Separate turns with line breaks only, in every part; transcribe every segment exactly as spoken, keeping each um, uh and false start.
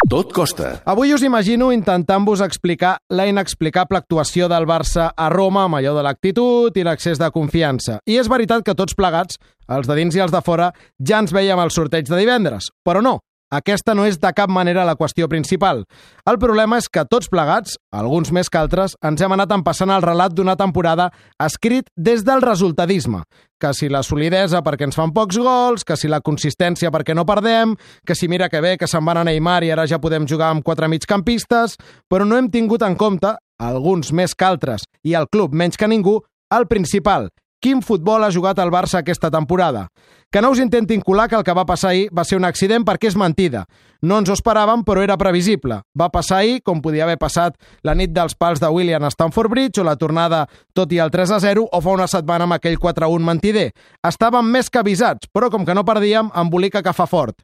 Tot costa.
Avui us imagino intentant-vos explicar la inexplicable actuació del Barça a Roma amb allò de l'actitud i l'accés de confiança. I és veritat que tots plegats, els de dins i els de fora, ja ens veiem al sorteig de divendres. Però no, aquesta no és de cap manera la qüestió principal. El problema és que tots plegats, alguns més que altres, ens hem anat empassant el relat d'una temporada escrit des del resultadisme. Que si la solidesa perquè ens fan pocs gols, que si la consistència perquè no perdem, que si mira que bé que se'n van a Neymar i ara ja podem jugar amb quatre migcampistes, però no hem tingut en compte, alguns més que altres i el club menys que ningú, el principal. Quin futbol ha jugat el Barça aquesta temporada? Que no us intentin colar que el que va passar ahir va ser un accident perquè és mentida. No ens ho esperàvem, però era previsible. Va passar ahir, com podia haver passat la nit dels pals de Willian a Stamford Bridge o la tornada tot i el tres a zero o fa una setmana amb aquell quatre a un mentider. Estàvem més que avisats, però com que no perdíem, embolica que fa fort.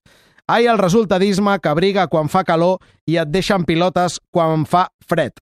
Ai, el resultadisme que abriga quan fa calor i et deixen pilotes quan fa fred.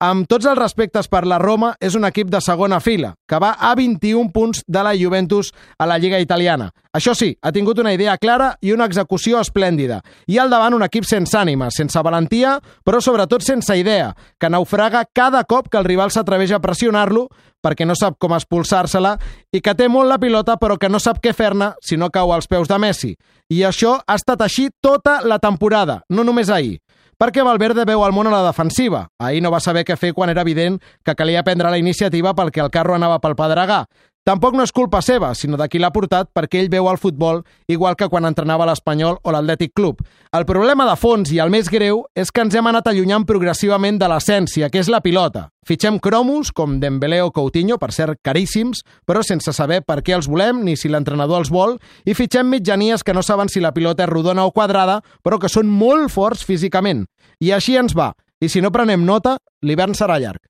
Amb tots els respectes per la Roma, és un equip de segona fila, que va a vint-i-un punts de la Juventus a la Lliga Italiana. Això sí, ha tingut una idea clara i una execució esplèndida. I al davant un equip sense ànima, sense valentia, però sobretot sense idea, que naufraga cada cop que el rival s'atreveix a pressionar-lo perquè no sap com expulsar-se-la i que té molt la pilota però que no sap què fer-ne si no cau als peus de Messi. I això ha estat així tota la temporada, no només ahir. Perquè Valverde veu el món a la defensiva. Ahir no va saber què fer quan era evident que calia prendre la iniciativa perquè el carro anava pel pedregar. Tampoc no és culpa seva, sinó de qui l'ha portat perquè ell veu el futbol igual que quan entrenava l'Espanyol o l'Atlètic Club. El problema de fons i el més greu és que ens hem anat allunyant progressivament de l'essència, que és la pilota. Fitxem cromos com Dembélé o Coutinho, per cert caríssims, però sense saber per què els volem ni si l'entrenador els vol, i fitxem mitjanies que no saben si la pilota és rodona o quadrada, però que són molt forts físicament. I així ens va. I si no prenem nota, l'hivern serà llarg.